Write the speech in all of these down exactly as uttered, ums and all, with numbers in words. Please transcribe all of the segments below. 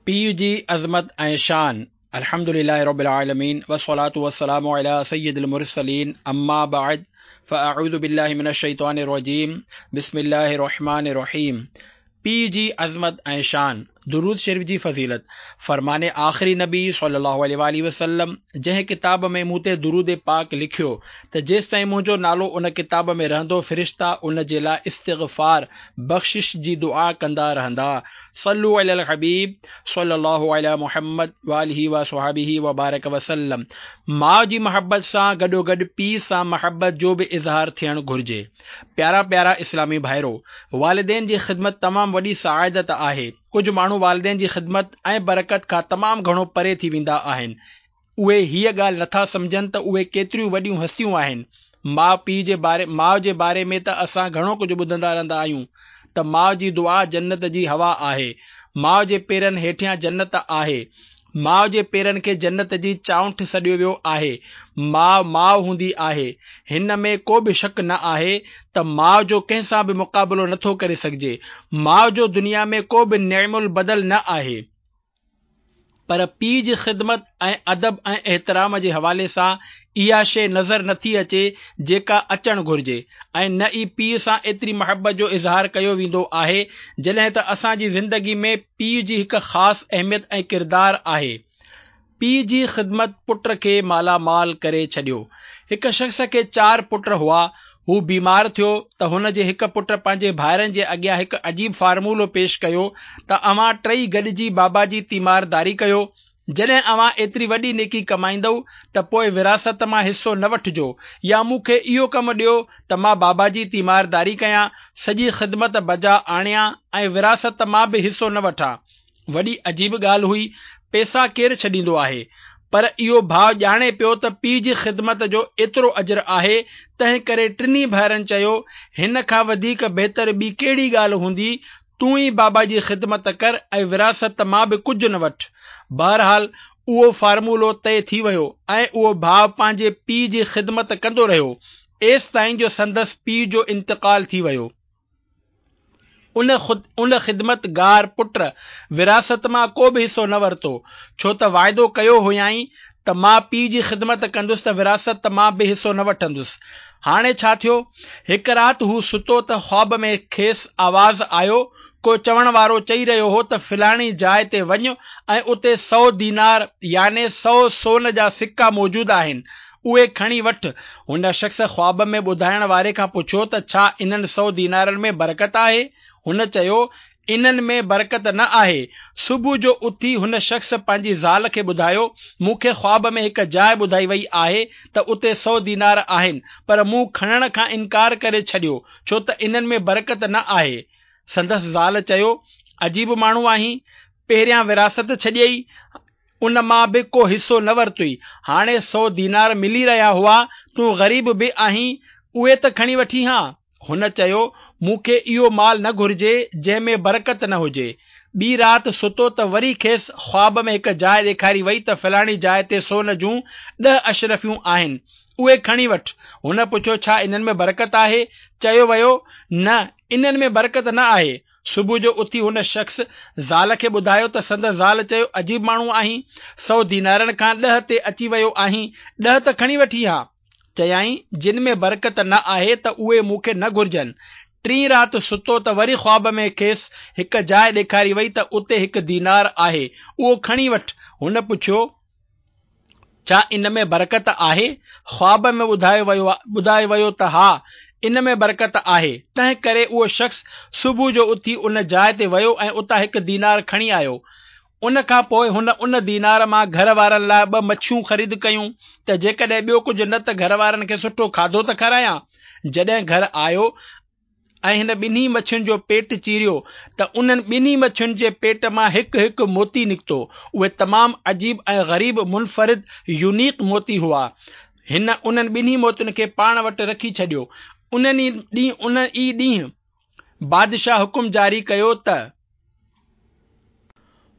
پيء جي عظمت ۽ شان الحمد لله رب العالمين والصلاة والسلام على سيد المرسلين اما بعد فاعوذ بالله من الشيطان الرجيم بسم الله الرحمن الرحيم پيء جي عظمت ۽ شان درود شريف جي فضيلت فرمان آخري نبي صلي الله عليه واله وسلم جنهن ڪتاب ۾ مون تي درود پاڪ لکيو ته جيستائين منهنجو نالو ان ڪتاب ۾ رهندو فرشتا ان جي لاء استغفار بخشش جي دعا ڪندا رهندا صلو علي الحبيب صلي الله علي محمد واله وصحبه وبارڪ وسلم ماء جي محبت سان گڏوگڏ پيء سان محبت جو به اظهار ٿيڻ گهرجي پيارا پيارا اسلامي ڀائرو والدين جي خدمت تمام وڏي سعادت آهي ڪجهه ماڻهو والدين جي خدمت ۽ برڪت کان تمام گهڻو پري ٿي ويندا آهن اهي هيء ڳالهه نٿا سمجهن ته اهي ڪيتريون وڏيون هستيون آهن ماء پيء جي باري ماء جي باري ۾ ته اسان گهڻو ڪجهه ٻڌندا رهندا آهيون ته ماء جي دعا جنت جي هوا آهي ماء جي پيرن هيٺيان جنت آهي ماء جي پيرن کي جنت جي چائنٺ سڏيو ويو آهي ماء ماء هوندي آهي هن ۾ ڪو به شڪ نه آهي ته ماء جو ڪنهن سان به مقابلو نٿو ڪري سگهجي ماء جو دنيا ۾ ڪو به نعم البدل نه آهي پر پيء جي خدمت ۽ ادب ۽ احترام جي حوالي سان اها شيء نظر نٿي اچي جيڪا اچڻ گهرجي ۽ نه ئي پيء سان ايتري محبت جو اظهار ڪيو ويندو آهي جڏهن ته اسان جي زندگي ۾ پيء جي هڪ خاص اهميت ۽ ڪردار آهي پيء جي خدمت پٽ کي مالا مال ڪري ڇڏيو هڪ شخص کي چار پٽ هئا هو بيمار ٿيو ته هن جي هڪ پٽ پنهنجي ڀائرن جي اڳيان هڪ عجيب فارمولو پيش ڪيو ته اوهان ٽئي گڏجي بابا جي تيمارداري ڪيو جڏهن اوهان ايتري وڏي نيڪي ڪمائيندؤ ته پوء وراثت مان حصو نه وٺجو يا مون کي اهو ڪم ڏيو ته مان بابا جي تيمارداري ڪيان سڄي خدمت بجا آڻيان ۽ وراثت مان به حصو نه وٺان وڏي عجيب ڳالهه هئي پئسا ڪير ڇڏيندو آهي پر اهو ڀاء ڄاڻي پيو ته پيء جي خدمت جو ايترو اجر آهي تنهن ڪري ٽنهي ڀائرن چيو هن کان وڌيڪ بهتر ٻي ڪهڙي ڳالهه هوندي تون ئي بابا جي خدمت ڪر ۽ وراثت مان به ڪجهه نه وٺ بهرحال اهو فارمولو طئي ٿي ويو ۽ اهو ڀاء پنهنجي پيء جي خدمت ڪندو رهيو ايستائين جو سندس پيء جو انتقال ٿي ويو ان ان خدمتگار پٽ وراثت مان ڪو به حصو نه ورتو ڇو ته واعدو ڪيو هيائين ته مان پيء جي خدمت ڪندس ته وراثت مان به حصو نه وٺندس هاڻي ڇا ٿيو هڪ رات هو ستو ته خواب ۾ کيس آواز آيو ڪو چوڻ وارو چئي رهيو هو ته فلاڻي جاء تي وڃ ۽ اتي سؤ دينار يعني سؤ سون جا سڪا موجود آهن اهي کڻي وٺ هن شخص خواب ۾ ٻڌائڻ واري کان پڇيو ته ڇا انهن سؤ دينارن ۾ برڪت آهي هن چيو انهن ۾ برڪت نه آهي صبح جو اٿي هن شخص پنهنجي زال کي ٻڌايو مون کي خواب ۾ هڪ جاء ٻڌائي وئي آهي ته اتي سؤ دينار آهن پر مون کڻڻ کان انڪار ڪري ڇڏيو ڇو ته انهن ۾ برڪت نه آهي سندس زال چيو عجيب ماڻهو آهين پهريان وراثت ڇڏيئي ان مان به ڪو حصو نه ورتئي هاڻي سؤ دينار ملي رهيا هئا تون غريب به آهين اهي ته کڻي وٺين ها هن چيو مون کي اهو مال نه گهرجي جنهن ۾ برڪت نه هجي ٻي رات ستو ته وري کيس خواب ۾ هڪ جاء ڏيکاري وئي ته فلاڻي جاء تي سون جون ڏهه اشرفيون آهن اهي کڻي وٺ هن پڇيو ڇا انهن ۾ برڪت آهي چيو ويو نه انهن ۾ برڪت نه آهي صبح جو اٿي هن شخص زال کي ٻڌايو ته سندس زال چيو عجيب ماڻهو آهين سؤ دينارن کان ڏهه تي اچي ويو آهين ڏهه ته کڻي وٺين ها چيائين جن ۾ برڪت نه آهي ته اهي مون کي نه گهرجن ٽين رات ستو ته وري خواب ۾ کيس هڪ جاء ڏيکاري وئي ته اتي هڪ دينار آهي اهو کڻي وٺ هن پڇيو ڇا ان ۾ برڪت آهي خواب ۾ ٻڌايو ويو ٻڌايو ويو ته ها ان ۾ برڪت آهي تنهن ڪري اهو شخص صبح جو اٿي ان جاء تي ويو ۽ اتان هڪ دينار کڻي آيو ان کان پوء هن ان دينار مان گهر وارن لاء ٻه مڇيون خريد ڪيون ته جيڪڏهن ٻيو ڪجهه نه ته گهر وارن کي سٺو کاڌو ته کارايان جڏهن گهر آيو ۽ هن ٻنهي مڇين جو پيٽ چيريو ته انهن ٻنهي مڇين جي پيٽ مان هڪ هڪ موتي نڪتو اهي تمام عجيب ۽ غريب منفرد يونيڪ موتي هئا هن انهن ٻنهي موتين کي پاڻ وٽ رکي ڇڏيو انهن ئي ڏينهن ان ئي ڏينهن بادشاهه حڪم جاري ڪيو ته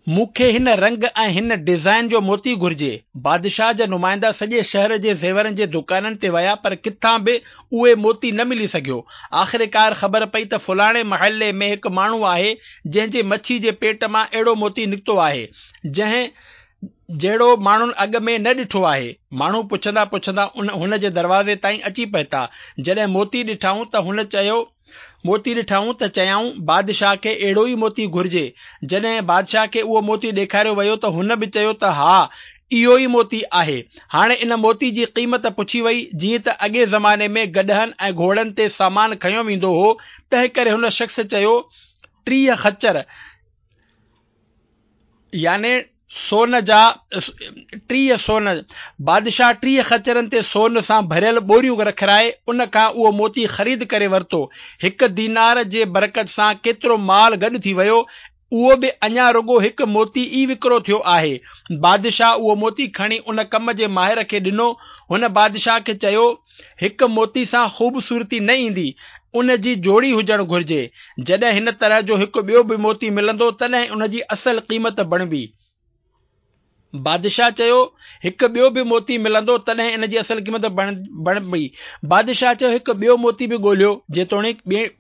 مون کي هن رنگ ۽ هن ڊزائين جو موتي گهرجي. بادشاهه جا نمائندا سڄي شهر جي زيورن جي دڪانن تي ويا پر ڪٿان به اهي موتي نه ملي سگهيو. آخرڪار خبر پئي ته فلاڻي محلي ۾ هڪ ماڻهو آهي جنهن جي مڇي جي پيٽ مان اهڙو موتي نڪتو آهي، جنهن جهڙو ماڻهن اڳ ۾ نه ڏٺو آهي. ماڻهو پڇندا پڇندا هن جي دروازي تائين اچي پهتا. جڏهن موتي ڏٺائون ته هن چيو موتي ڏٺائون ته چيائون، بادشاهه کي اهڙو ئي موتي گهرجي. جڏهن بادشاهه کي اهو موتي ڏيکاريو ويو ته هن به چيو ته ها، اهو ئي موتي آهي. هاڻي ان موتي جي قيمت پڇي وئي. جيئن ته اڳئين زماني ۾ گڏهن ۽ گهوڙن تي سامان کنيو ويندو هو، تنهنڪري هن شخص چيو، ٽيهه خچر يعني سون جا ٽيهه سون. بادشاهه ٽيهه خچرن تي سون سان ڀريل ٻوريون رکرائي ان کان اهو موتي خريد ڪري ورتو. هڪ دينار جي برڪت سان ڪيترو مال گڏ ٿي ويو، اهو به اڃا رڳو هڪ موتي ئي وڪرو ٿيو آهي. بادشاهه اهو موتي کڻي ان ڪم جي ماهر کي ڏنو. هن بادشاهه کي چيو، هڪ موتي سان خوبصورتي نه ايندي، ان جي جوڙي هجڻ گهرجي. جڏهن هن طرح جو هڪ ٻيو به موتي ملندو، تڏهن ان جي اصل قيمت بڻبي. بادشاهه چيو، هڪ ٻيو به موتي ملندو، تڏهن ان جي اصل قيمت بڻبي. بادشاهه چيو، هڪ ٻيو موتي به ڳوليو، جيتوڻيڪ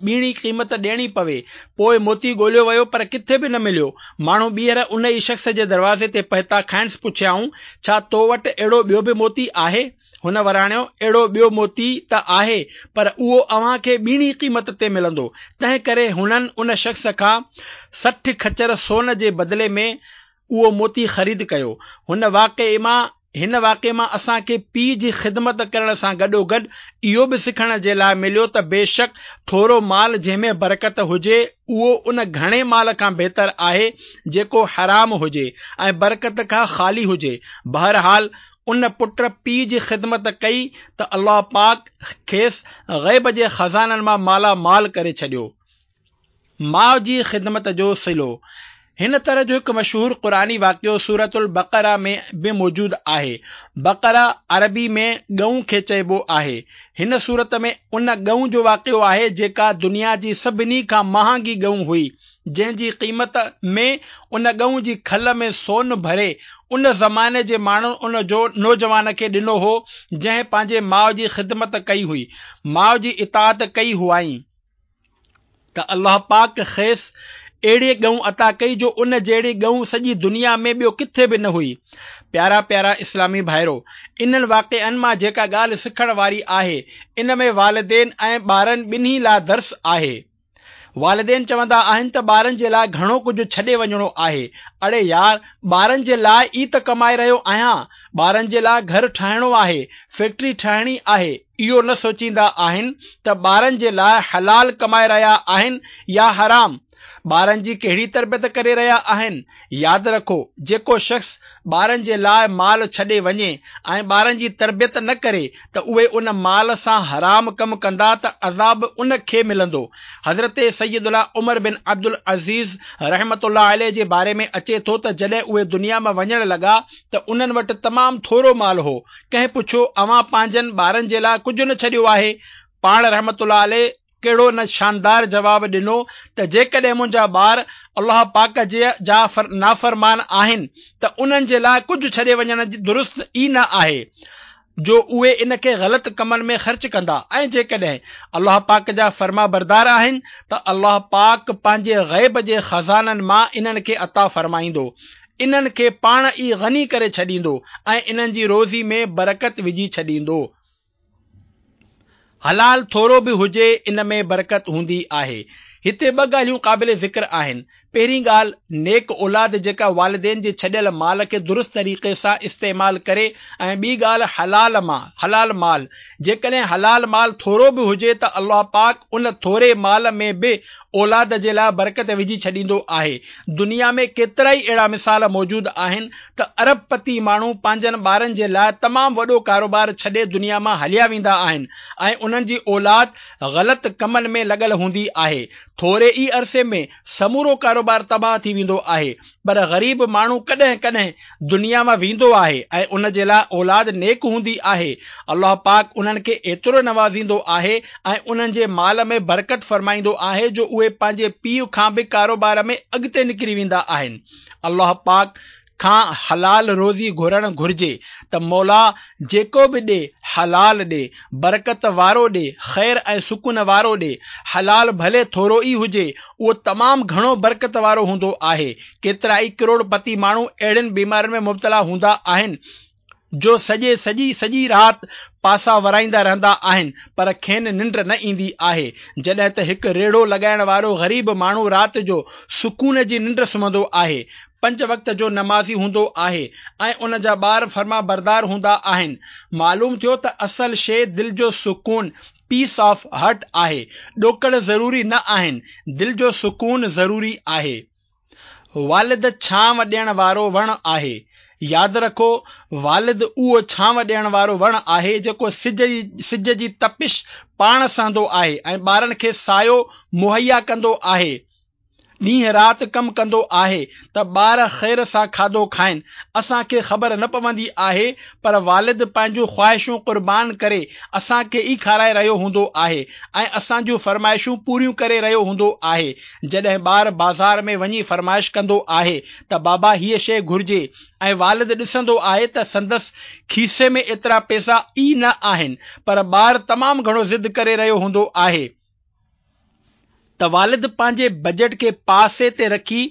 ٻيڻي قيمت ڏيڻي پوي. پوء موتي ڳوليو ويو، پر ڪٿي به نه مليو. ماڻهو ٻيهر ان ئي شخص جي دروازي تي پهتا. کانئس پڇيائون، ڇا تو وٽ اهڙو ٻيو به موتي آهي؟ هن وراڻيو، اهڙو ٻيو موتي ته آهي، پر اهو اوهان کي ٻيڻي قيمت تي ملندو. تنهنڪري هنن ان شخص کان سٺ خچر سون جي بدلي ۾ اهو موتي خريد ڪيو. هن واقعي مان هن واقعي مان اسان کي پيء جي خدمت ڪرڻ سان گڏوگڏ اهو به سکڻ جي لاء مليو ته بيشڪ ٿورو مال جنهن ۾ برڪت هجي اهو ان گهڻي مال کان بهتر آهي جيڪو حرام هجي ۽ برڪت کان خالي هجي. بهرحال ان پٽ پيء جي خدمت ڪئي ته الله پاڪ کيس غيب جي خزانن مان مالا مال ڪري ڇڏيو. ماء جي خدمت جو صلو. هن طرح جو هڪ مشهور قرآني واقعو سورة البقره ۾ به موجود آهي. بقره عربي ۾ ڳئون کي چئبو آهي. هن سورت ۾ ان ڳئون جو واقعو آهي جيڪا دنيا جي سڀني کان مهانگي ڳئون هئي، جنهن جي قيمت ۾ ان ڳئون جي کل ۾ سون ڀري ان زماني جي ماڻهن ان جو نوجوان کي ڏنو هو جنهن پنهنجي ماء جي خدمت ڪئي هئي، ماء جي اطاعت ڪئي هئائين. ته الله پاڪ کيس اهڙي ڳئون عطا ڪئي جو ان جهڙي ڳئون سڄي دنيا ۾ ٻيو ڪٿي به نه هئي. پيارا پيارا اسلامي ڀائرو! انهن واقعن مان جيڪا ڳالهه سکڻ واري آهي، ان ۾ والدين ۽ ٻارن ٻنهي لاء درس آهي. والدين چوندا آهن ته ٻارن جي لاء گهڻو ڪجهه ڇڏي وڃڻو آهي. اڙي يار! ٻارن جي لاء ئي ته ڪمائي رهيو آهيان. ٻارن جي لاء گهر ٺاهڻو آهي، فيڪٽري ٺاهڻي آهي. اهو نه سوچيندا آهن ته ٻارن جي لاء حلال ڪمائي رهيا آهن يا حرام. ٻارن جي ڪهڙي تربيت ڪري رهيا آهن. ياد رکو، جيڪو شخص ٻارن جي لاء مال ڇڏي وڃي ۽ ٻارن جي تربيت نه ڪري ته اهي ان مال سان حرام ڪم ڪندا ته عذاب ان کي ملندو. حضرت سيدنا عمر بن عبدالعزيز رحمة الله عليه جي باري ۾ اچي ٿو ته جڏهن اهي دنيا مان وڃڻ لڳا ته انهن وٽ تمام ٿورو مال هو. ڪنهن پڇيو، اوهان پنهنجن ٻارن جي لاء ڪجهه نه ڇڏيو آهي؟ پاڻ رحمة الله عليه ڪهڙو نه شاندار جواب ڏنو ته جيڪڏهن منهنجا ٻار الله پاڪ جي جا نافرمان آهن ته انهن جي لاء ڪجهه ڇڏي وڃڻ درست ئي نه آهي جو اهي ان کي غلط ڪمن ۾ خرچ ڪندا ۽ جيڪڏهن الله پاڪ جا فرمانبردار آهن ته الله پاڪ پنهنجي غيب جي خزانن مان انهن کي عطا فرمائيندو انهن کي پاڻ ئي غني ڪري ڇڏيندو ۽ انهن جي روزي ۾ برڪت وجهي ڇڏيندو. حلال ٿورو به هجي ان ۾ برڪت هوندي آهي. هتي ٻه ڳالهيون قابل ذڪر آهن. پهرين ڳالهه نيڪ اولاد جيڪا والدين جي ڇڏيل مال کي درست طريقي سان استعمال ڪري ۽ ٻي ڳالهه حلال مان حلال مال جيڪڏهن حلال مال ٿورو به هجي ته الله پاڪ ان ٿوري مال ۾ به اولاد جي لاء برڪت وجهي ڇڏيندو آهي. دنيا ۾ ڪيترائي اهڙا مثال موجود آهن ته ارب پتي ماڻهو پنهنجن ٻارن جي لاء تمام وڏو ڪاروبار ڇڏي دنيا مان هليا ويندا آهن ۽ انهن جي اولاد غلط ڪمن ۾ لڳل هوندي آهي. ٿوري ئي عرصي ۾ سمورو ڪاروبار تباهه ٿي ويندو آهي. پر غريب ماڻهو ڪڏهن ڪڏهن دنيا مان ويندو آهي ۽ ان جي لاء اولاد نيڪ هوندي آهي. الله پاڪ انهن کي ايترو نوازيندو آهي ۽ انهن جي مال ۾ برڪت فرمائيندو آهي جو اهي پنهنجي پيء کان به ڪاروبار ۾ اڳتي نڪري ويندا آهن. الله پاڪ کان حلال روزي گهرڻ گهرجي ته مولا جيڪو به ڏي حلال ڏي، برڪت وارو ڏي، خير ۽ سڪون وارو ڏي. حلال ڀلي ٿورو ئي هجي، اهو تمام گهڻو برڪت وارو هوندو آهي. ڪيترائي ڪروڙ پتي ماڻهو اهڙين بيمارين ۾ مبتلا هوندا آهن جو سڄي سڄي سڄي رات پاسا ورائيندا رهندا آهن پر کين ننڊ نه ايندي آهي. جڏهن ته هڪ ريڙهو لڳائڻ وارو غريب ماڻهو رات جو سڪون جي ننڊ سمهندو آهي، پنج وقت جو نمازي هوندو آهي ۽ ان جا ٻار فرمانبردار هوندا آهن. معلوم ٿيو ته اصل شيء دل جو سڪون، Peace of Heart، آهي. ڏوڪڙ ضروري نه آهن، دل جو سڪون ضروري آهي. والد ڇانو ڏيڻ وارو وڻ آهي. ياد رکو، والد اهو ڇانو ڏيڻ وارو وڻ آهي جيڪو سج جي سج جي تپش پاڻ سهندو آهي ۽ ٻارن کي سايو مهيا ڪندو آهي. ڏينهن رات ڪم ڪندو آهي ته ٻار خير سان کاڌو کائن. اسان کي خبر نه پوندي آهي پر والد پنهنجون خواهشون قربان ڪري اسان کي ئي کارائي رهيو هوندو آهي ۽ اسان جون فرمائشون پوريون ڪري رهيو هوندو آهي. جڏهن ٻار بازار ۾ وڃي فرمائش ڪندو آهي ته بابا هيء شيء گهرجي ۽ والد ڏسندو آهي ته سندس کيسي ۾ ايترا پئسا ئي نه آهن پر ٻار تمام گهڻو ضد ڪري رهيو هوندو آهي ته والد پنهنجي بجيٽ کي پاسي تي رکي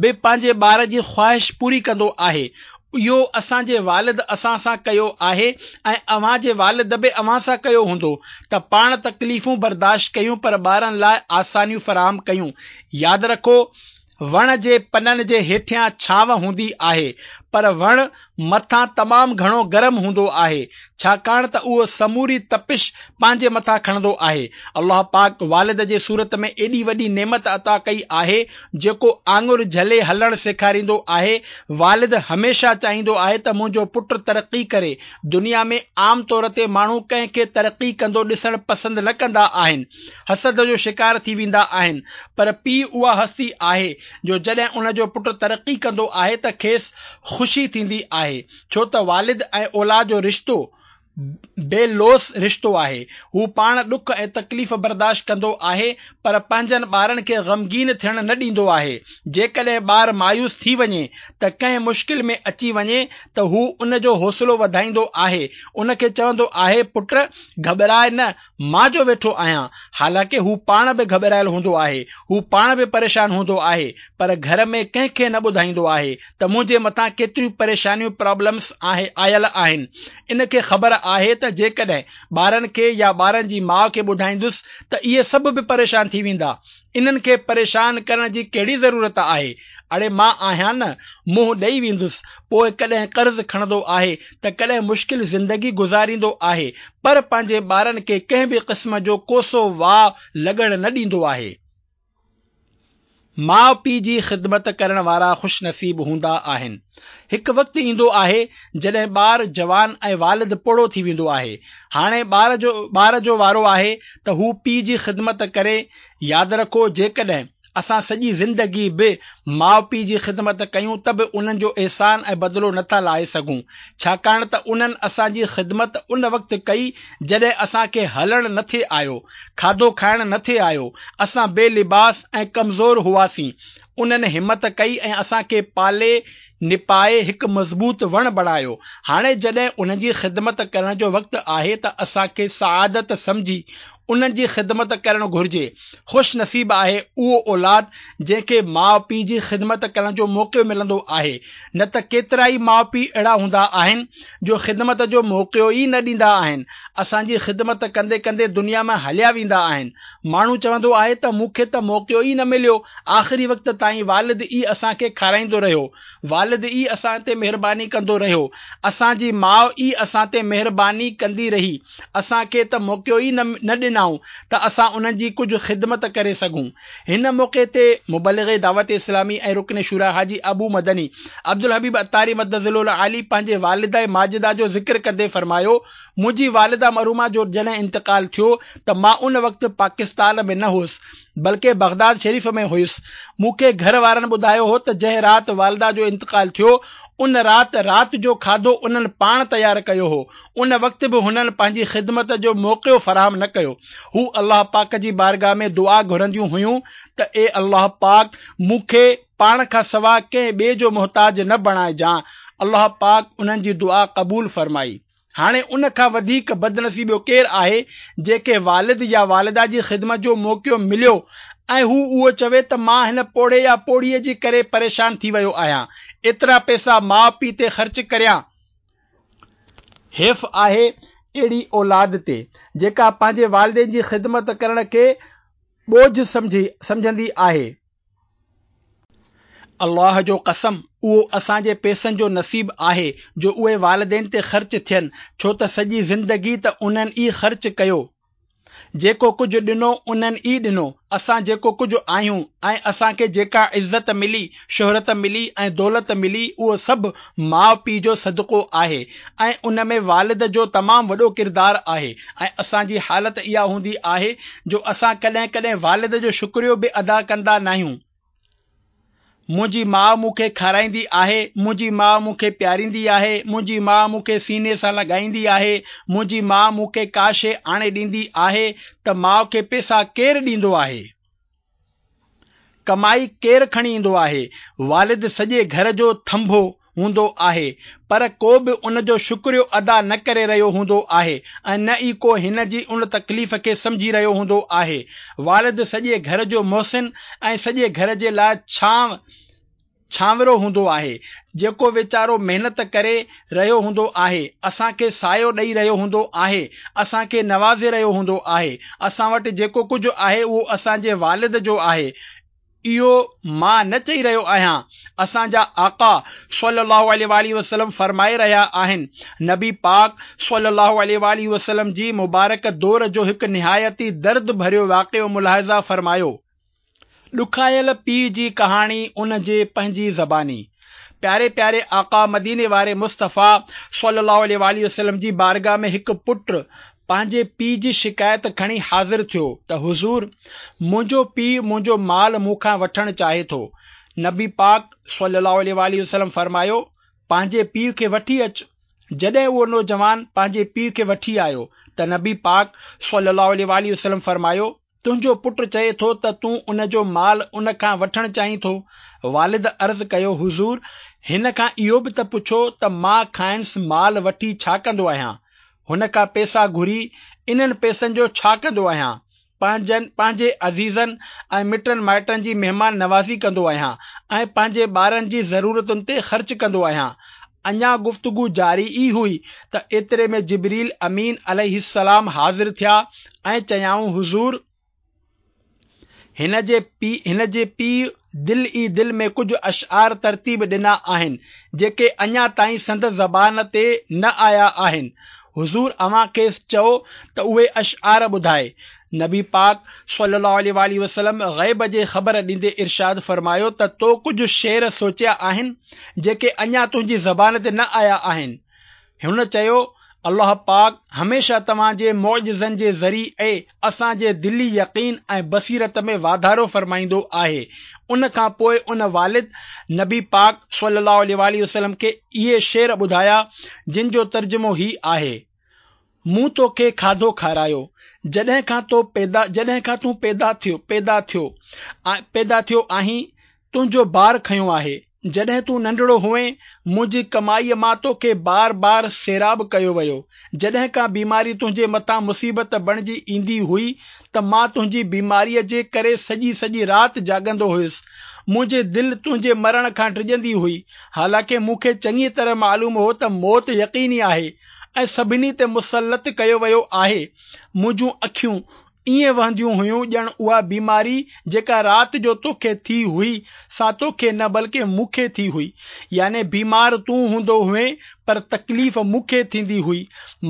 به پنهنجي ٻار جي خواهش پوري ڪندو آهي. اهو اسان جي والد اسان سان ڪيو آهي ۽ اوهان جي والد به اوهان سان ڪيو هوندو ته پاڻ تڪليفون برداشت ڪيون پر ٻارن لاء آسانيون فراهم ڪيون. ياد رکو وڻ جي پنن جي هيٺيان ڇانو هوندي آهي پر وڻ مٿان تمام گهڻو گرم هوندو آهي ڇاڪاڻ ته اهو سموري تپش پنهنجي مٿان کڻندو آهي. الله پاڪ والد جي صورت ۾ ايڏي وڏي نعمت عطا ڪئي آهي جيڪو آڱر جهلي هلڻ سيکاريندو آهي. والد هميشه چاهيندو آهي ته منهنجو پٽ ترقي ڪري. دنيا ۾ عام طور تي ماڻهو ڪنهن کي ترقي ڪندو ڏسڻ پسند نه ڪندا آهن. حسد جو شڪار ٿي ويندا آهن پر پيء اها هستي آهي جو جڏهن ان جو پٽ ترقي ڪندو آهي ته کيس خوشي ٿيندي آهي ڇو ته والد ۽ اولاد جو رشتو بي لوث رشتو آهي. هو پاڻ ڏک ۽ تڪليف برداشت ڪندو آهي پر پنهنجن ٻارن کي غمگين ٿيڻ نه ڏيندو آهي. جيڪڏهن ٻار مايوس ٿي وڃي ته ڪنهن مشڪل ۾ اچي وڃي ته هو ان جو حوصلو وڌائيندو آهي ان کي چوندو آهي پٽ گهٻراء نه مان جو ويٺو آهيان. حالانڪه هو پاڻ به گهٻرايل هوندو آهي، هو پاڻ به پريشان هوندو آهي، پر گهر ۾ ڪنهن کي نه ٻڌائيندو آهي ته منهنجي مٿان ڪيتريون پريشانيون Problems آيل آهن. ان کي خبر آهي ته جيڪڏهن ٻارن کي يا ٻارن جي ماء کي ٻڌائيندس ته اهي سڀ به پريشان ٿي ويندا. انهن کي پريشان ڪرڻ جي ڪهڙي ضرورت آهي؟ اڙي مان آهيان نه، منهن ڏئي ويندس. پوء ڪڏهن قرض کڻندو آهي ته ڪڏهن مشڪل زندگي گذاريندو آهي، پر پنهنجي ٻارن کي ڪنهن به قسم جو ڪوسو واء لڳڻ نه ڏيندو آهي. ماء پيء جي خدمت ڪرڻ وارا خوش نصيب هوندا آهن. هڪ وقت ايندو آهي جڏهن ٻار جوان ۽ والد پوڙهو ٿي ويندو آهي. هاڻي ٻار جو ٻار جو وارو آهي ته هو پيء جي خدمت ڪري. ياد رکو جيڪڏهن اسان سڄي زندگي به ماء پيء جي خدمت ڪيون ته به انهن جو احسان ۽ بدلو نٿا لاهي سگهون ڇاڪاڻ ته انهن اسان جي خدمت ان وقت ڪئي جڏهن اسان کي هلڻ نٿي آيو، کاڌو کائڻ نٿي آيو، اسان بي لباس ۽ ڪمزور هئاسين. انهن همت ڪئي ۽ اسان کي پالي نپائي هڪ مضبوط وڻ بڻايو. هاڻي جڏهن انهن جي خدمت ڪرڻ جو وقت آهي ته اسان کي سعادت سمجهي انهن جي خدمت ڪرڻ گهرجي. خوش نصيب آهي اهو اولاد جنهن کي ماء پيء جي خدمت ڪرڻ جو موقعو ملندو آهي. نه ته ڪيترائي ماء پيء اهڙا هوندا آهن جو خدمت جو موقعو ئي نه ڏيندا آهن. اسان جي خدمت ڪندي ڪندي دنيا مان هليا ويندا آهن. ماڻهو چوندو آهي ته مون کي ته موقعو ئي نه مليو، آخري وقت تائين والد ئي اسان کي کارائيندو رهيو، والد ئي اسان تي مهرباني ڪندو رهيو، اسان جي ماء ئي اسان تي مهرباني ڪندي رهي، اسان کي ته موقعو ئي نه ڏنائين. ڏنائون ته اسان انهن جي ڪجهه خدمت ڪري سگهون. هن موقعي تي مبلغ دعوت اسلامي ۽ رڪن شوريٰ حاجي ابو مدني عبدالحبيب عطاري مد ظله العالي پنهنجي والده ماجده جو ذڪر ڪندي فرمايو، منهنجي والده مرحومه جو جڏهن انتقال ٿيو ته مان ان وقت پاڪستان ۾ نه هيس بلڪه بغداد شريف ۾ هيس. مون کي گهر وارن ٻڌايو هو ته جنهن رات والده جو انتقال ٿيو ان رات رات جو کاڌو انهن پاڻ تيار ڪيو هو. ان وقت به هنن پنهنجي خدمت جو موقعو فراهم نه ڪيو. هو الله پاڪ جي بارگاهه ۾ دعا گهرنديون هيون ته اي الله پاڪ مون کي پاڻ کان سوا ڪنهن ٻئي جو محتاج نه بڻائجان. الله پاڪ انهن جي دعا قبول فرمائي. هاڻي ان کان وڌيڪ بدنصيبو ڪير آهي جنهن کي والد يا والده جي خدمت جو موقعو مليو ۽ هو اهو چوي ته مان هن پوڙهي يا پوڙهيء جي ڪري پريشان ٿي ويو آهيان، ايترا پئسا ماء پيء تي خرچ ڪريان. حيف آهي اهڙي اولاد تي جيڪا پنهنجي والدين جي خدمت ڪرڻ کي ٻوجهه سمجهندي آهي. الله جو قسم اهو اسان جي پئسن جو نصيب آهي جو اهي والدين تي خرچ ٿين ڇو ته سڄي زندگي ته انهن ئي خرچ ڪيو جيڪو ڪجهه ڏنو انهن ئي ڏنو اسان جيڪو ڪجهه آهيون ۽ اسان کي جيڪا عزت ملي شهرت ملي ۽ دولت ملي اهو سڀ ماء پيء جو صدقو آهي ۽ ان ۾ والد جو تمام وڏو ڪردار آهي ۽ اسان جي حالت اها هوندي آهي جو اسان ڪڏهن ڪڏهن والد جو شڪريو به ادا ڪندا ناهيون. منهنجي ماء مون کي کارائيندي آهي، منهنجي ماء مون کي پياريندي آهي، منهنجي ماء مون کي سيني سان لڳائيندي آهي، منهنجي ماء مون کي ڪا شيء آڻي ڏيندي آهي ته ماء کي پئسا ڪير ڏيندو آهي؟ ڪمائي ڪير کڻي ايندو آهي؟ والد سڄي گهر جو ٿنڀو هوندو آهي پر ڪو به ان جو شڪريو ادا نه ڪري رهيو هوندو آهي ۽ نه ئي ڪو هن جي ان تڪليف کي سمجهي رهيو هوندو آهي. والد سڄي گهر جو محسن ۽ سڄي گهر جي لاء ڇانو ڇانورو هوندو آهي جيڪو ويچارو محنت ڪري رهيو هوندو آهي اسان کي سايو ڏئي رهيو هوندو آهي اسان کي نوازي رهيو هوندو آهي اسان وٽ جيڪو ڪجهه آهي اهو اسان جي والد جو آهي. اهو مان نه چئي رهيو آهيان، اسان جا آقا صلّي اللّٰه عليه واٰله وسلّم فرمائي رهيا آهن. نبي پاڪ صلّي اللّٰه عليه واٰله وسلّم جي مبارڪ دور جو هڪ نهايت ئي درد ڀريو واقعو ملاحظه فرمايو. ڏکايل پيء جي ڪهاڻي ان جي پنهنجي زباني. پياري پياري آقا مديني واري مصطفيٰ صلّي اللّٰه عليه واٰله وسلّم جي بارگاھ ۾ هڪ پٽ پنهنجي پيء جي شڪايت کڻي حاضر ٿيو ته حضور! منهنجو پيء منهنجو مال مون کان وٺڻ چاهي ٿو. نبي پاڪ صلي الله عليه واٰله وسلم فرمايو، پنهنجي پيء کي وٺي اچ. جڏهن اهو نوجوان پنهنجي پيء کي وٺي آيو ته نبي پاڪ صلي الله عليه واٰله وسلم فرمايو، تنهنجو پٽ چئي ٿو ته تون ان جو مال ان کان وٺڻ چاهين ٿو. والد عرض ڪيو، حضور! هن کان اهو به ته پڇو ته مان کانئس مال وٺي ڇا ڪندو آهيان؟ هن کان پئسا گهري انهن پئسن جو ڇا ڪندو آهيان؟ پنهنجن، پنهنجي عزيزن ۽ مٽن مائٽن جي مهمان نوازي ڪندو آهيان ۽ پنهنجي ٻارن جي ضرورتن تي خرچ ڪندو آهيان. اڃا گفتگو جاري ئي هئي ته ايتري ۾ جبريل امين عليه السلام حاضر ٿيا ۽ چيائون حضور! هن جي هن جي پيء دل ئي دل ۾ ڪجهه اشعار ترتيب ڏنا آهن جيڪي اڃا تائين سندس زبان تي نه آيا آهن. حضور اوهان کيس چئو ته اهي اشعار ٻڌائي. نبي پاڪ صلي الله عليه واٰله وسلم غيب جي خبر ڏيندي ارشاد فرمايو ته تو ڪجهه شعر سوچيا آهن جيڪي اڃا تنهنجي زبان تي نه آيا آهن. هن چيو، الله پاڪ هميشه توهان جي معجزن جي ذريعي اسان جي دلي يقين ۽ بصيرت ۾ واڌارو فرمائيندو آهي. ان کان پوء ان والد نبي پاڪ صلي الله عليه واٰله وسلم کي اهي شعر ٻڌايا جن جو ترجمو هي آهي. مون توکي کاڌو کارايو، جڏهن کان تو پيدا جڏهن کان تون پيدا ٿيو پيدا ٿيو پيدا ٿيو آهين، تنهنجو بار کنيو آهي. جڏهن تون ننڍڙو هئين، منهنجي ڪمائيء مان توکي بار بار سيراب ڪيو ويو. جڏهن ڪا بيماري تنهنجي مٿان مصيبت بڻجي ايندي هئي ته مان تنهنجي بيماريء جي ڪري سڄي سڄي رات جاڳندو هيس. منهنجي دل تنهنجي مرڻ کان ڊڄندي هئي، حالانڪه مون کي چڱيء طرح معلوم هو ته موت يقيني آهي. ۽ سڀني تي مسلط ڪيو ويو آهي. منهنجون اکيون ائين وهنديون هيون ڄڻ اها بيماري جيڪا رات جو توکي ٿي هئي سا توکي نه بلڪه مون کي ٿي هئي. يعني بيمار تون هوندو هئين پر تڪليف مون کي ٿيندي هئي.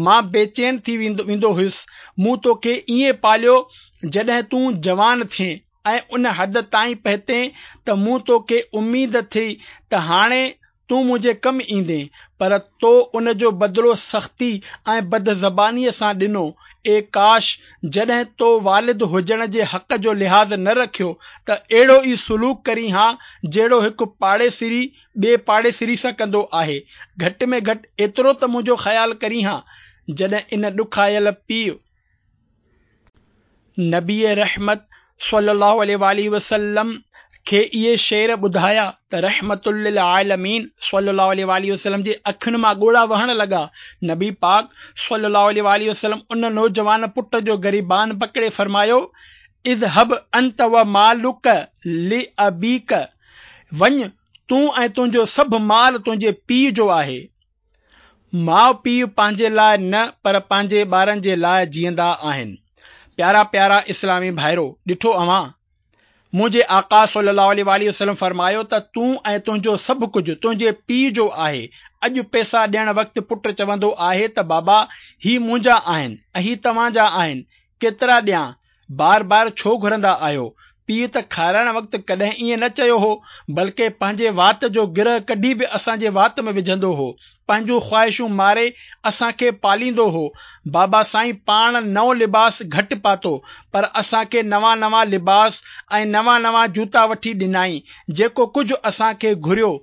مان بيچين ٿي ويندو هيس. مون توکي ائين پاليو جڏهن تون جوان ٿئين ۽ ان حد تائين پهتين ته مون توکي اميد ٿي ته هاڻي تون منهنجي ڪم ايندين، پر تو ان جو بدلو سختي ۽ بدزبانيء سان ڏنو. اي ڪاش! جڏهن تو والد هجڻ جي حق جو لحاظ نه رکيو ته اهڙو ئي سلوڪ ڪرين ها جهڙو هڪ پاڙيسري ٻئي پاڙيسري سان ڪندو آهي. گهٽ ۾ گهٽ ايترو ته منهنجو خيال ڪرين ها. جڏهن ان ڏکايل پيء نبي رحمت صلي الله عليه واٰله وسلم کي اهي شعر ٻڌايا ته رحمت للعالمين صلي الله عليه واٰله وسلم جي اکين مان ڳوڙها وهڻ لڳا. نبي پاڪ صلي الله عليه واٰله وسلم ان نوجوان پٽ جو گريبان پڪڙي فرمايو، اذهب انت ومالک لابيک، وڃ تون ۽ تنهنجو سڀ مال تنهنجي پيء جو آهي. ماء پيء پنهنجي لاء نه پر پنهنجي ٻارن جي لاء جيئندا آهن. پيارا پيارا اسلامي ڀائرو! ڏٺو اوهان؟ منهنجي آقا صلي الله عليه واٰله وسلم فرمايو ته تون ۽ تنهنجو سڀ ڪجهه تنهنجي پيء جو آهي. اڄ پئسا ڏيڻ وقت پٽ چوندو آهي ته بابا هي منهنجا آهن ۽ هي توهان جا آهن، ڪيترا ڏيان؟ بار بار ڇو گهرندا آهيو؟ پيء ته کارائڻ وقت ڪڏهن ائين نه چيو هو، بلڪه پنهنجي وات جو گرهه ڪڍي به اسان جي وات ۾ وجهندو هو. پنهنجون خواهشون ماري اسان کي پاليندو هو. بابا سائين پاڻ نئون لباس گهٽ پاتو، پر اسان کي نوان نوان لباس ۽ نوان نوان جوتا وٺي ڏنائين. جيڪو ڪجهه اسان کي گهريو،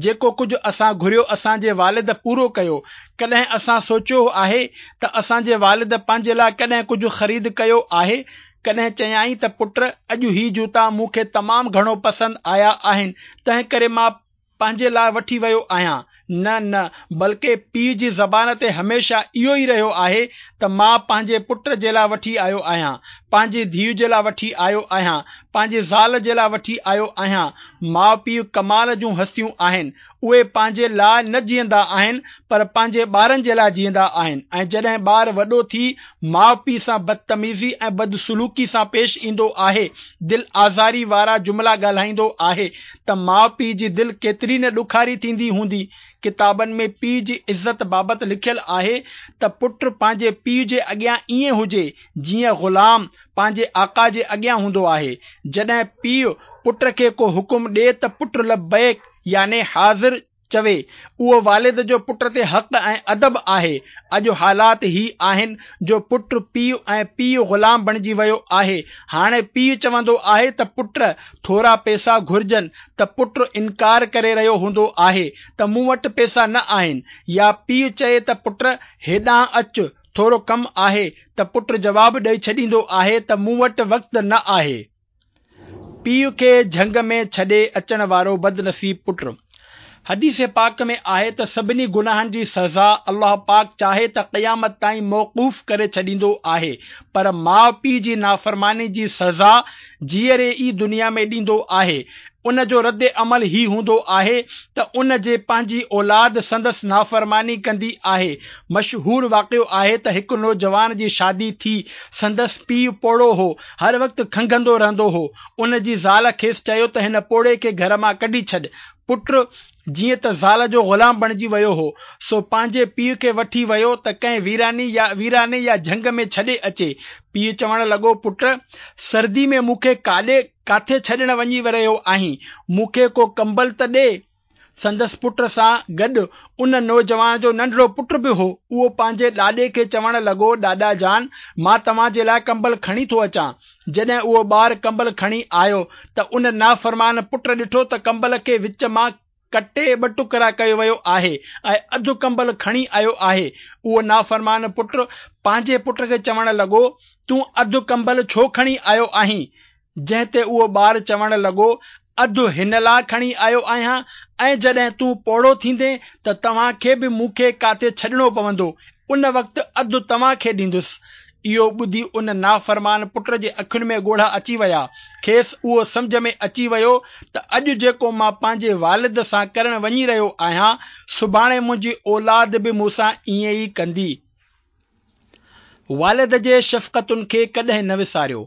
جيڪو ڪجهه اسان گهريو اسان جي والد پورو ڪيو. ڪڏهن اسان سوچيو آهي ته اسان جي والد پنهنجي لاء ڪڏهن ڪجهه خريد ڪيو آهي؟ ڪڏهن چيائين ته پٽ اڄ هي جوتا مون کي تمام گهڻو پسند آيا آهن، تنهنڪري مان پنهنجي لاء وٺي ويو آهيان. نه نه بلڪه پيء جي زبان تي هميشه اهو ئي رهيو آهي ته مان پنهنجي پٽ جي لاء وٺي آيو آهيان، پنهنجي ڌيء جي لاء وٺي آيو آهيان، پنهنجي زال جي لاء وٺي آيو آهيان. ماء پيء ڪمال جون هستيون آهن. اهي پنهنجي لاء نه جيئندا آهن پر پنهنجي ٻارن جي لاء جيئندا آهن ۽ جڏهن ٻار وڏو ٿي ماء پيء سان بدتميزي ۽ بدسلوڪي سان پيش ايندو آهي، دل آزاري وارا جملا ڳالهائيندو آهي ته ماء پيء جي دل ڪيتري نه ڏکاري ٿيندي هوندي. ڪتابن ۾ پيء جي عزت بابت لکيل آهي ته پٽ پنهنجي پيء جي اڳيان ائين هجي جيئن غلام پنهنجي آقا جي اڳيان هوندو آهي. جڏهن پيء پٽ کي ڪو حڪم ڏي ته پٽ لبيڪ يعني حاضر چوي. اهو والد جو پٽ تي حق ۽ ادب آهي. اڄ حالات هي آهن جو پٽ پيء ۽ پيء غلام بڻجي ويو آهي. هاڻي پيء چوندو آهي ته پٽ ٿورا پئسا گهرجن ته پٽ انڪار ڪري رهيو هوندو آهي ته مون وٽ پئسا نه آهن يا پيء چئي ته پٽ هيڏانهن اچ ٿورو ڪم آهي ته پٽ جواب ڏئي ڇڏيندو آهي ته مون وٽ وقت نه آهي. پيء کي جهنگ ۾ ڇڏي اچڻ وارو بدنصيب پٽ. حديث پاڪ ۾ آهي ته سڀني گناهن جي سزا الله پاڪ چاهي ته قيامت تائين موقوف ڪري ڇڏيندو آهي پر ماء پيء جي نافرماني جي سزا جيئري ئي دنيا ۾ ڏيندو آهي. ان جو رد عمل هي هوندو آهي ته ان جي پنهنجي اولاد سندس نافرماني ڪندي آهي. مشهور واقعو آهي ته هڪ نوجوان جي شادي ٿي، سندس پيء پوڙهو هو، هر وقت کنگهندو رهندو هو. ان جي زال کيس چيو ته هن پوڙهي کي گهر مان ڪڍي ڇڏ. پٽ جيئن ته زال جو غلام بڻجي ويو هو، سو پنهنجي پيء کي وٺي ويو ته ڪنهن ويراني يا ويراني يا جهنگ ۾ ڇڏي اچي. پيء چوڻ لڳو، پٽ! سردي ۾ مون کي ڪاڏي ڪاٿي ڇڏڻ وڃي رهيو آهين؟ مون کي ڪو ڪمبل ته ڏي. سندس پٽ سان گڏ ان نوجوان جو ننڍڙو پٽ به هو. اهو پنهنجي ڏاڏي کي چوڻ لڳو، ڏاڏا جان! مان توهان جي لاء ڪمبل کڻي ٿو اچان. جڏهن اهو ٻار ڪمبل کڻي آيو ته ان نافرمان پٽ ڏٺو ته ڪمبل کي وچ مان ڪٽي ٻه ٽڪرا ڪيو ويو آهي ۽ اڌ ڪمبل کڻي آيو آهي. اهو نافرمان پٽ پنهنجي پٽ کي چوڻ لڳو، تون اڌ ڪمبل ڇو کڻي آيو آهين؟ جنهن تي اهو ٻار چوڻ لڳو، اڌ هن لاء کڻي آيو آهيان ۽ جڏهن تون پوڙهو ٿيندين ته توهان کي به مون کي ڪاٿي ڇڏڻو پوندو، ان وقت اڌ توهان کي ڏيندس. اهو ٻڌي ان نافرمان پٽ جي اکين ۾ ڳوڙها اچي ويا. کيس اهو سمجهه ۾ اچي ويو ته اڄ جيڪو مان پنهنجي والد سان ڪرڻ وڃي رهيو آهيان، سڀاڻي منهنجي اولاد به مون سان ائين ئي ڪندي. والد جي شفقتن کي ڪڏهن نه وساريو.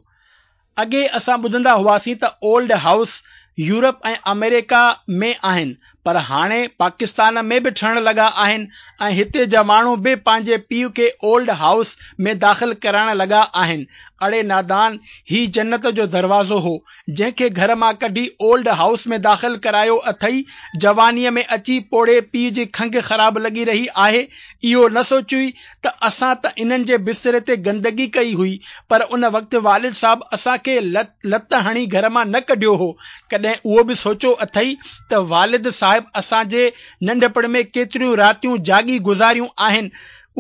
اڳي اسان ٻڌندا هئاسين ته اولڊ هائوس يورپ ۽ آمريڪا ۾ آهن، پر هاڻي پاڪستان ۾ به ٺهڻ لڳا آهن ۽ هتي جا ماڻهو به پنهنجي پيء کي اولڊ هائوس ۾ داخل ڪرائڻ لڳا آهن. اڙي نادان، هي جنت جو دروازو هو، جنهن کي گهر مان ڪڍي اولڊ هائوس ۾ داخل ڪرايو اٿئي. جوانيء ۾ اچي پوڙهي پيء جي کنگهه خراب لڳي رهي آهي. اهو نه سوچيوئي ته اسان ته انهن جي بستري تي گندگي ڪئي هئي، پر ان وقت والد صاحب اسان کي لت هڻي گهر مان نه ڪڍيو هو. ڪڏهن اهو به سوچيو اٿئي ته والد صاحب اسان جي ننڍپڻ ۾ ڪيتريون راتيون جاڳي گذاريون آهن؟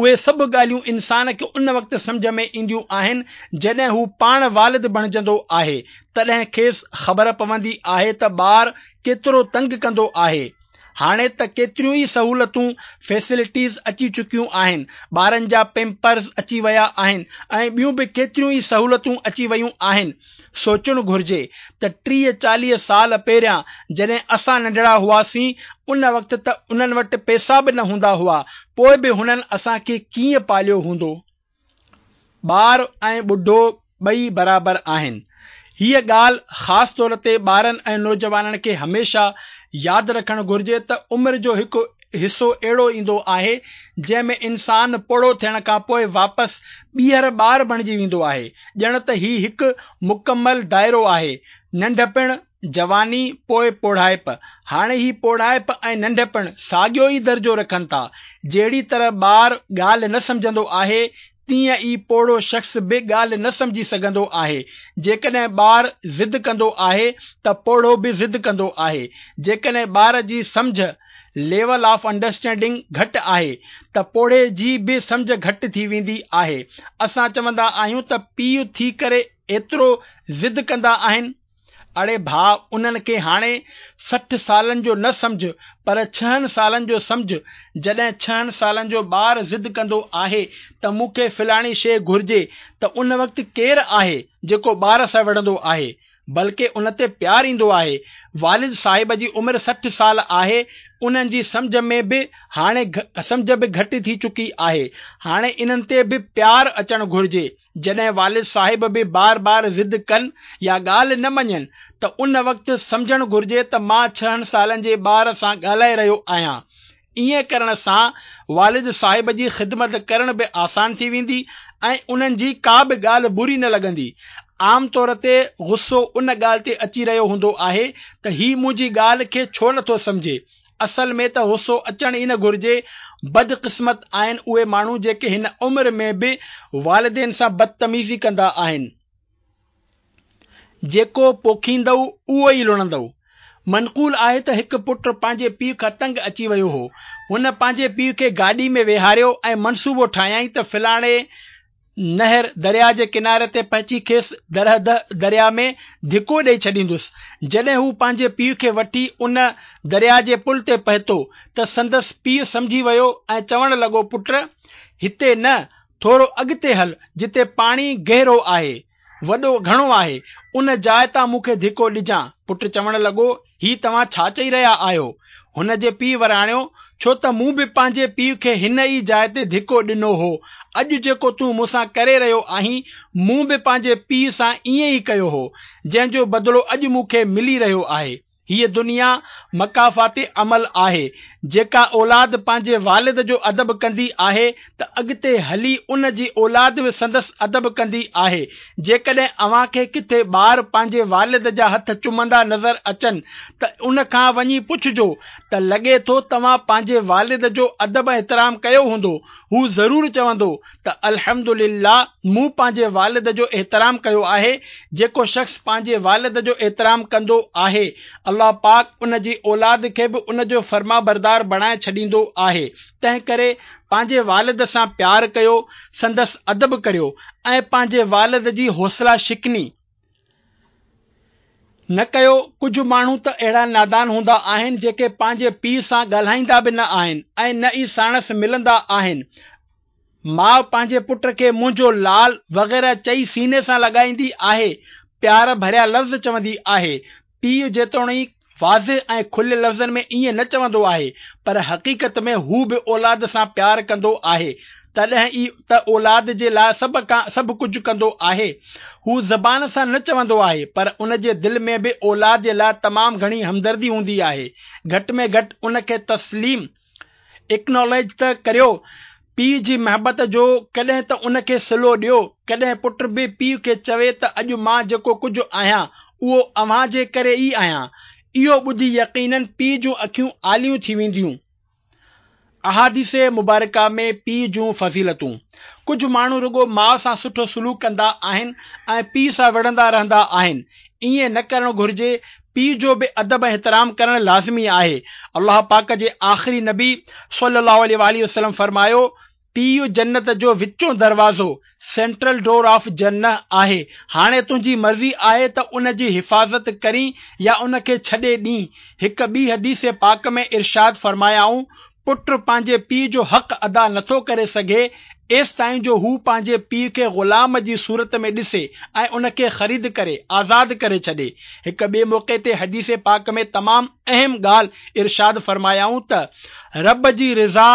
اهي سڀ ڳالهيون انسان کي ان وقت سمجهه ۾ اينديون آهن، جڏهن هو پاڻ والد بڻجندو آهي. تڏهن کيس خبر پوندي آهي ته ٻار ڪيترو تنگ ڪندو آهي. هاڻي ته ڪيتريون ئي سهولتون، فيسلٽيز، اچي چڪيون آهن. ٻارن جا پيمپرز اچي ويا آهن ۽ ٻيون به ڪيتريون ئي سهولتون اچي ويون آهن. سوچڻ گهرجي ته ٽيهه چاليهه سال پهريان جڏهن اسان ننڍڙا هئاسين، ان وقت ته انهن وٽ پئسا به نه هوندا هئا، پوء به هنن اسان کي ڪيئن پاليو هوندو؟ ٻار ۽ ٻڍو ٻئي برابر آهن. هيء ڳالهه خاص طور تي ٻارن ۽ نوجوانن کي هميشه ياد رکڻ گهرجي ته عمر جو هڪ حصو اهڙو ايندو آهي، جنهن ۾ انسان پوڙهو ٿيڻ کان پوء واپس ٻيهر ٻار بڻجي ويندو آهي. ڄڻ ته هي هڪ مڪمل دائرو آهي. ننڍپڻ، جواني، پوء پوڙهائپ. هاڻي هي پوڙهائپ ۽ ننڍپڻ ساڳيو ئي درجو رکن ٿا. جهڙي طرح ٻار ڳالهه نه سمجهندو آهي، تيئن ئي پوڙهو شخص به ڳالهه نه سمجهي سگهندو آهي. جيڪڏهن ٻار ضد ڪندو آهي ته پوڙهو به ضد ڪندو آهي. جيڪڏهن ٻار جي سمجهه، ليول آف انڊرسٽينڊنگ، گهٽ آهي ته پوڙهي جي به سمجهه گهٽ ٿي ويندي آهي. اسان چوندا آهيون ته پيء ٿي ڪري ايترو ضد ڪندا آهن. اڙي ڀاء، انهن کي هاڻي سٺ سالن جو نه سمجهه، پر ڇهن سالن جو سمجهه. جڏهن ڇهن سالن جو ٻار ضد ڪندو آهي ته مون کي فلاڻي شيء گهرجي ته ان وقت ڪير آهي جيڪو ٻار سان وڙهندو آهي؟ بلڪه ان تي پيار ايندو آهي. والد صاحب جي عمر سٺ سال آهي، انهن جي سمجهه ۾ به هاڻي سمجهه به گهٽ ٿي چڪي آهي. هاڻي انهن تي به پيار اچڻ گهرجي. جڏهن والد صاحب به بار بار ضد ڪن يا ڳالهه نه مڃين ته ان وقت سمجهڻ گهرجي ته مان ڇهن سالن جي ٻار سان ڳالهائي رهيو آهيان. ائين ڪرڻ سان والد صاحب جي خدمت ڪرڻ به آسان ٿي ويندي ۽ انهن جي ڪا به ڳالهه بري نه لڳندي. عام طور تي غصو ان ڳالهه تي اچي رهيو هوندو آهي ته هي منهنجي ڳالهه کي ڇو نٿو سمجهي. اصل ۾ ته غصو اچڻ ئي نه گهرجي. بدقسمت آهن اهي ماڻهو جيڪي هن عمر ۾ به والدين سان بدتميزي ڪندا آهن. جيڪو پوکيندؤ اهو ئي لڻندؤ. منقول آهي ته هڪ پٽ پنهنجي پيء کان تنگ اچي ويو هو. هن پنهنجي پيء کي گاڏي ۾ ويهاريو ۽ منصوبو ٺاهيائين ته فلاڻي نهر، درياء، جي ڪناري تي پهچي کيس درياء ۾ ڌڪو ڏئي ڇڏيندس. جڏهن هو پنهنجي پيء کي وٺي ان درياء جي پل تي پهتو ته سندس پيء سمجهي ويو ۽ چوڻ لڳو، پٽ! هتي نه، ٿورو اڳتي هل، جتي پاڻي گهرو آهي، وڏو گهڻو آهي، ان جاء تان مون کي ڌڪو ڏجان. پٽ چوڻ لڳو، هي توهان ڇا چئي رهيا آهيو؟ هن جي پيء وراڻيو، ڇو ته مون به پنهنجي پيء کي هن ئي جاء تي ڌڪو ڏنو هو. اڄ جيڪو تون مون سان ڪري رهيو آهين، مون به پنهنجي پيء سان ائين ئي ڪيو هو، جنهن جو بدلو اڄ مون کي ملي رهيو آهي. هيء دنيا مڪافات عمل آهي. جيڪا اولاد پنهنجي والد جو ادب ڪندي آهي ته اڳتي هلي ان جي اولاد به سندس ادب ڪندي آهي. جيڪڏهن اوهان کي ڪٿي ٻار پنهنجي والد جا هٿ چمندا نظر اچن ته ان کان وڃي پڇجو ته لڳي ٿو توهان پنهنجي والد جو ادب ۽ احترام ڪيو هوندو. هو ضرور چوندو ته الحمدلله مون پنهنجي والد جو احترام ڪيو آهي. جيڪو شخص پنهنجي والد جو احترام ڪندو آهي، الله پاڪ ان جي اولاد کي به ان جو فرمانبردار بڻائي ڇڏيندو آهي. تنهنڪري پنهنجي والد سان پيار ڪيو، سندس ادب ڪريو ۽ پنهنجي والد جي حوصله شڪني نه ڪيو. ڪجهه ماڻهو ته اهڙا نادان هوندا آهن، جيڪي پنهنجي پيء سان ڳالهائيندا به نه آهن ۽ نه ئي ساڻس ملندا آهن. ماء پنهنجي پٽ کي منهنجو لال وغيره چئي سيني سان لڳائيندي آهي، پيار ڀريا لفظ چوندي آهي. پيء جيتوڻيڪ واضح ۽ کليل لفظن ۾ ائين نه چوندو آهي، پر حقيقت ۾ هو به اولاد سان پيار ڪندو آهي. تڏهن ئي ته اولاد جي لاء سڀ کان سڀ ڪجهه ڪندو آهي. هو زبان سان نه چوندو آهي، پر ان جي دل ۾ به اولاد جي لاء تمام گهڻي همدردي هوندي آهي. گهٽ ۾ گهٽ ان کي تسليم، Acknowledge، ته ڪريو. پيء جي محبت جو ڪڏهن ته ان کي صلو ڏيو. ڪڏهن پٽ به پيء کي چوي ته اڄ مان جيڪو ڪجهه آهيان، اهو اوهان جي ڪري ئي آهيان. اهو ٻڌي يقينن پيء جون اکيون آليون ٿي وينديون. احاديث مبارڪه ۾ پيء جون فضيلتون. ڪجهه ماڻهو رڳو ماء سان سٺو سلوڪ ڪندا آهن ۽ پيء سان وڙهندا رهندا آهن. ائين نه ڪرڻ گهرجي. پيء جو به ادب ۽ احترام ڪرڻ لازمي آهي. الله پاڪ جي آخري نبي صلي الله عليه واٰله وسلم فرمايو، پيء جنت جو وچون دروازو، Central Door of Jannah، آهي. هاڻي تنهنجي مرضي آهي ته ان جي حفاظت ڪرين يا ان کي ڇڏي ڏين. هڪ ٻي حديث پاڪ ۾ ارشاد فرمايائون، پٽ پنهنجي پيء جو حق ادا نٿو ڪري سگهي ايستائين جو هو پنهنجي پيء کي غلام جي صورت ۾ ڏسي ۽ ان کي خريد ڪري آزاد ڪري ڇڏي. هڪ ٻئي موقعي تي حديث پاڪ ۾ تمام اهم ڳالهه ارشاد فرمايائون ته رب جي رضا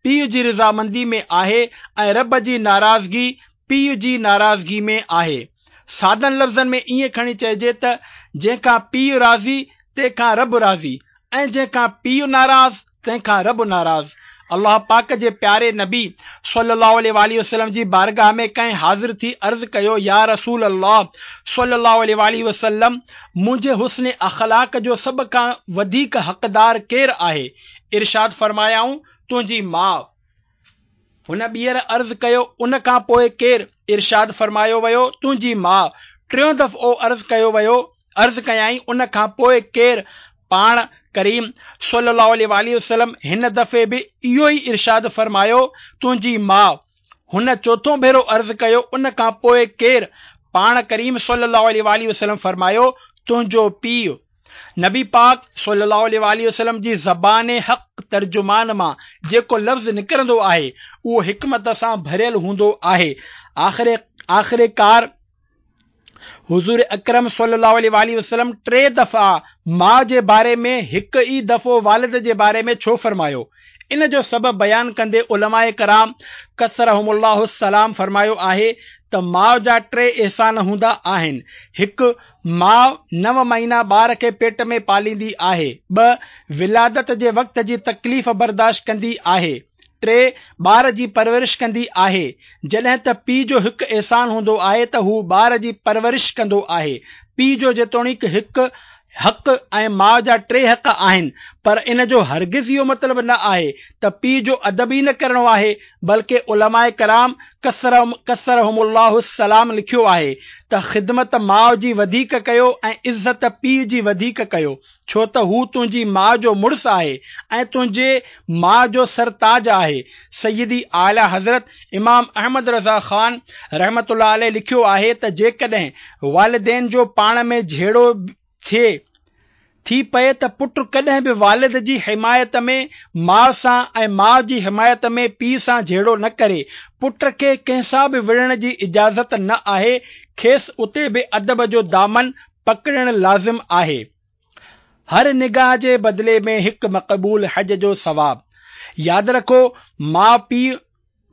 پيء جي رضامندي ۾ آهي ۽ رب جي ناراضگي پيء جي ناراضگي ۾ آهي. سادن لفظن ۾ ائين کڻي چئجي ته جنهن کان پيء راضي تنهن کان رب راضي ۽ جنهن کان پيء ناراض تنهن کان رب ناراض. الله پاڪ جي پياري نبي صلّي الله عليه واٰله وسلّم جي بارگاھ ۾ ڪنهن حاضر ٿي عرض ڪيو يا رسول الله صلّي الله عليه واٰله وسلّم منهنجي حسن اخلاق جو سڀ کان وڌيڪ حقدار ڪير آهي؟ ارشاد فرمايائون تنهنجي ماء. هن ٻيهر عرض ڪيو ان کان پوء ڪير؟ ارشاد فرمايو ويو تنهنجي ماء. ٽيون دفعو عرض ڪيو ويو عرض ڪيائين ان کان پوء ڪير؟ پاڻ ڪريم صلي الله عليه واٰله وسلم هن دفعي به اهو ئي ارشاد فرمايو، تنهنجي ماء. هن چوٿون ڀيرو عرض ڪيو، ان کان پوء ڪير؟ پاڻ ڪريم صلي الله عليه واٰله وسلم فرمايو، تنهنجو پيء. نبي پاڪ صلي الله عليه واٰله وسلم جي زبان حق ترجمان مان جيڪو لفظ نڪرندو آهي، اهو حڪمت سان ڀريل هوندو آهي. آخر آخرڪار حضور اڪرم صلي الله عليه واٰله وسلم ٽي دفعا ماء جي باري ۾ هڪ ئي دفعو والد جي باري ۾ ڇو فرمايو؟ ان جو سبب بيان ڪندي علماء ڪرام ڪثرهم الله السلام فرمايو آهي ته ماء جا ٽي احسان هوندا آهن، هڪ، ماء نو مهينا ٻار کي پيٽ ۾ پاليندي آهي، ٻه، ولادت جي وقت جي تڪليف برداشت ڪندي آهي، ٽي، ٻار جي پرورش ڪندي آهي. جڏهن ته پيء جو هڪ احسان هوندو آهي ته هو ٻار جي پرورش ڪندو آهي. پيء جو جيتوڻيڪ هڪ حق ۽ ماء جا ٽي حق آهن پر ان جو هرگز اهو مطلب نه آهي ته پيء جو ادب ئي نه ڪرڻو آهي بلڪه علماء ڪرام ڪثرهم الله السلام لکيو آهي ته خدمت ماء جي وڌيڪ ڪيو ۽ عزت پيء جي وڌيڪ ڪيو. ڇو ته هو تنهنجي ماء جو مڙس آهي ۽ تنهنجي ماء جو سرتاج آهي. سيدي اعليٰ حضرت امام احمد رضا خان رحمة الله عليه لکيو آهي ته جيڪڏهن والدين جو پاڻ ۾ جهيڙو ٿئي ٿي پئي ته پٽ ڪڏهن به والد جي حمايت ۾ ماء سان ۽ ماء جي حمايت ۾ پيء سان جهيڙو نه ڪري. پٽ کي ڪنهن سان به وڙهڻ جي اجازت نه آهي، کيس اتي به ادب جو دامن پڪڙڻ لازم آهي. هر نگاهه جي بدلي ۾ هڪ مقبول حج جو ثواب. ياد رکو ماء پيء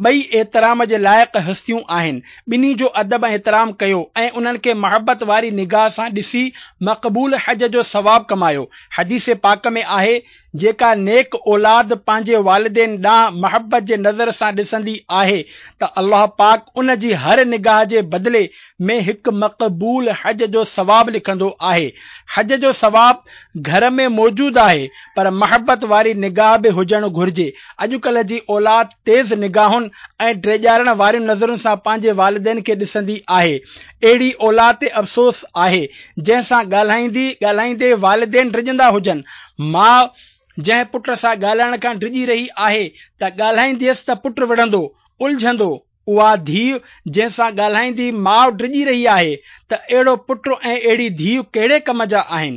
ٻئي احترام جي لائق هستيون آهن، ٻنهي جو ادب ۽ احترام ڪيو ۽ انهن کي محبت واري نگاهه سان ڏسي مقبول حج جو ثواب ڪمايو. حديث پاڪ ۾ آهي، جيڪا نيڪ اولاد پنهنجي والدين ڏانهن محبت جي نظر سان ڏسندي آهي ته الله پاڪ ان جي هر نگاهه جي بدلي ۾ هڪ مقبول حج جو ثواب لکندو آهي. حج جو ثواب گهر ۾ موجود آهي پر محبت واري نگاهه به هجڻ گهرجي. اڄڪلهه جي اولاد تيز نگاهن ۽ ڊيڄارڻ وارين نظرن سان پنهنجي والدين کي ڏسندي آهي. اهڙي اولاد تي افسوس آهي جنهن سان ڳالهائيندي ڳالهائيندي والدين ڊڄندا هجن. ماء جنهن پٽ سان ڳالهائڻ کان ڊڄي رهي آهي ته ڳالهائينديس ته پٽ وڙهندو، الجهندو. اها ڌيء جنهن سان ڳالهائيندي ماء ڊڄي رهي آهي ته اهڙو پٽ ۽ اهڙي ڌيء ڪهڙي ڪم جا آهن؟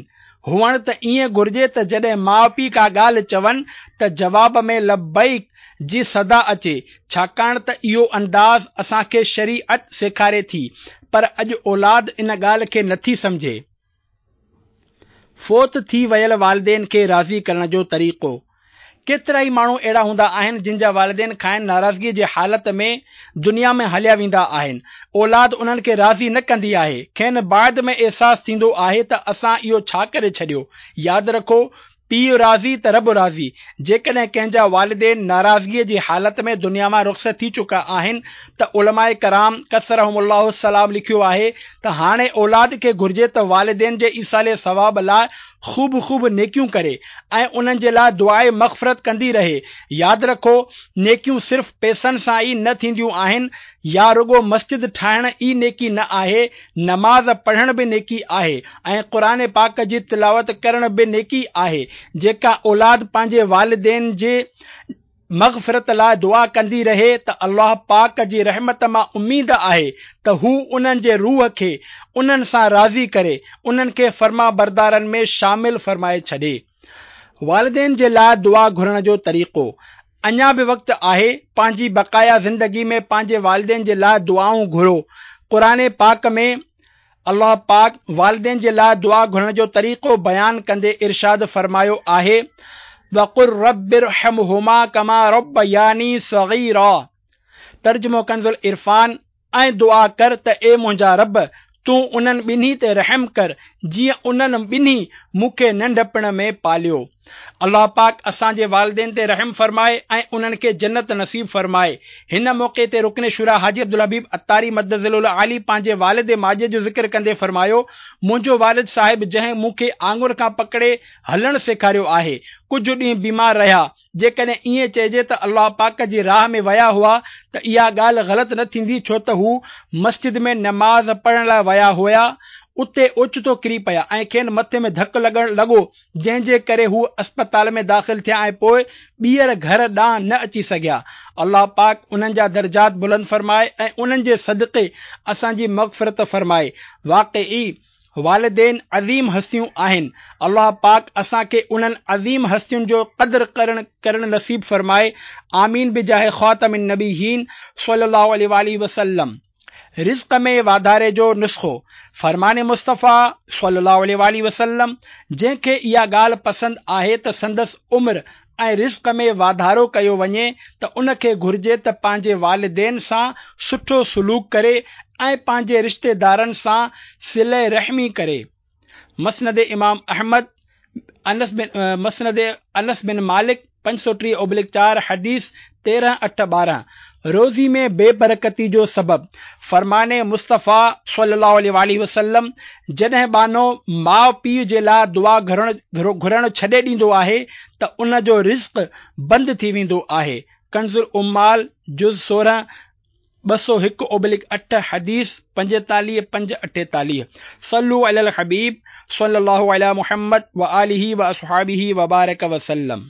هئڻ ته ائين گهرجي ته جڏهن ماء پيء ڪا ڳالهه چون ته جواب ۾ لبيڪ جي صدا اچي، ڇاڪاڻ ته اهو انداز اسان کي شريعت سيکاري ٿي، پر اڄ اولاد ان ڳالهه کي نٿي سمجهي. فوت ٿي ويل والدين کي راضي ڪرڻ جو طريقو. ڪيترائي ماڻهو اهڙا هوندا آهن جن جا والدين کانئن ناراضگي جي حالت ۾ دنيا ۾ هليا ويندا آهن. اولاد انهن کي راضي نه ڪندي آهي. کين بعد ۾ احساس ٿيندو آهي ته اسان اهو ڇا ڪري ڇڏيو. ياد رکو، پيء راضي ته رب راضي. جيڪڏهن ڪنهن جا والدين ناراضگي جي حالت ۾ دنيا مان رخصت ٿي چڪا آهن ته علماء ڪرام ڪثرهم الله السلام لکيو آهي ته هاڻي اولاد کي گهرجي ته والدين جي ايصال ثواب لاء خوب خوب نيڪيون ڪري ۽ انهن جي لاء دعاء مغفرت ڪندي رهي. ياد رکو، نيڪيون صرف پئسن سان ئي نه ٿينديون آهن يا رڳو مسجد ٺاهڻ ئي نيڪي نه آهي، نماز پڙهڻ به نيڪي آهي ۽ قرآن پاڪ جي تلاوت ڪرڻ به نيڪي آهي. جيڪا اولاد پنهنجي والدين جي مغفرت لاء دعا ڪندي رهي ته الله پاڪ جي رحمت مان اميد آهي ته هو انهن جي روح کي انهن سان راضي ڪري انهن کي فرمانبردارن ۾ شامل فرمائي ڇڏي. والدين جي لاء دعا گهرڻ جو طريقو. اڃا به وقت آهي، پنهنجي بقايا زندگي ۾ پنهنجي والدين جي لاء دعائون گهرو. قرآن پاڪ ۾ الله پاڪ والدين جي لاء دعا گهرڻ جو طريقو بيان ڪندي ارشاد فرمايو آهي، وقل رب ارحمهما ڪما ربياني صغيرا. ترجمو ڪنز العرفان، ۽ دعا ڪر ته اي منهنجا رب! تون انهن ٻنهي تي رحم ڪر جيئن انهن ٻنهي مون کي ننڍپڻ ۾ پاليو. الله پاڪ اسان جي والدين تي رحم فرمائي ۽ انهن کي جنت نصيب فرمائي. هن موقعي تي رڪن شوريٰ حاجي عبدالحبيب عطاري مدظله العالي پنهنجي والد ماجد جو ذڪر ڪندي فرمايو، منهنجو والد صاحب جنهن مون کي آڱر کان پڪڙي هلڻ سيکاريو آهي، ڪجهه ڏينهن بيمار رهيا، جيڪڏهن ائين چئجي ته الله پاڪ جي راهه ۾ ويا هئا ته اها ڳالهه غلط نه ٿيندي ڇو ته هو مسجد ۾ نماز پڙهڻ لاء ويا هيا اتي اوچتو ڪري پيا ۽ کين مٿي ۾ ڌڪ لڳڻ لڳو جنهن جي ڪري هو اسپتال ۾ داخل ٿيا ۽ پوء ٻيهر گهر ڏانهن نه اچي سگهيا. الله پاڪ انهن جا درجات بلند فرمائي ۽ انهن جي صدقي اسان جي مغفرت فرمائي. واقعي والدين عظيم هستيون آهن. الله پاڪ اسان کي انهن عظيم هستين جو قدر ڪرڻ ڪرڻ نصيب فرمائي. آمين بجاه خاتم النبيين صلي الله عليه واٰله وسلم. رزق ۾ واڌاري جو نسخو، فرمان مصطفيٰ صلي الله عليه واٰله وسلم، جنهن کي اها ڳالهه پسند آهي ته سندس عمر ۽ رزق ۾ واڌارو ڪيو وڃي ته ان کي گهرجي ته پنهنجي والدين سان سٺو سلوڪ ڪري ۽ پنهنجي رشتيدارن سان صله رحمي ڪري. مسند امام احمد، انس بن مسند انس بن مالڪ پنج سؤ ٽيهه اوبلڪ چار حديث تيرهن اٺ ٻارهن. روزي ۾ بي برڪتي جو سبب، فرمان مصطفيٰ صلي الله عليه واٰله وسلم، جڏهن ٻانهو ماء پيء جي لاء دعا گهرڻ گهرڻ ڇڏي ڏيندو آهي ته ان جو رزق بند ٿي ويندو آهي. ڪنز العمال جز سورهن ٻه سؤ هڪ اوبلڪ اٺ حديث پنجيتاليهه پنج اٺيتاليهه. صلو علي الحبيب صلي الله علي محمد وآله واصحابه وبارڪ وسلم.